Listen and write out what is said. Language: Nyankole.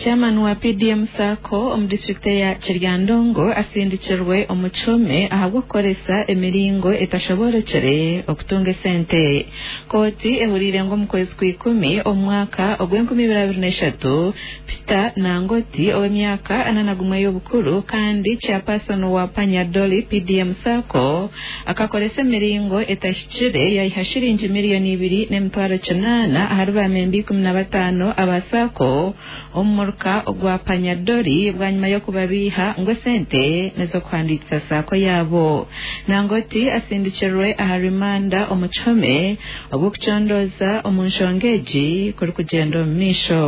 Chairman wa PDM SACCO omu disiturikiti eya Kiryandongo asindikirwe omu kihome ahabw'okukoresa emiringo etashoboorokire okutunga esente. Kooti ehuriire ngu omu kwezi kw'ikumi omu mwaka ogw'enkumi ibiri abiri n'eshatu, Peter Nangoti ow'emyaka 41 y'obukuru kandi chairperson wa Panyadoli PDM SACCO akakoresa emiringo etahikire yaiha shiringi 2,800,000 ahari baamemba 15 aba SACCO omu muruka ogwa Panyadori bwanyima y'okubabiiha ngu esente n'ez'okuhandiikisa SACCO yaabo. Nangoti asindikirwe aha rimanda omu kihome obw'okucondooza omu nshonga egi kurikugyenda omu maisho.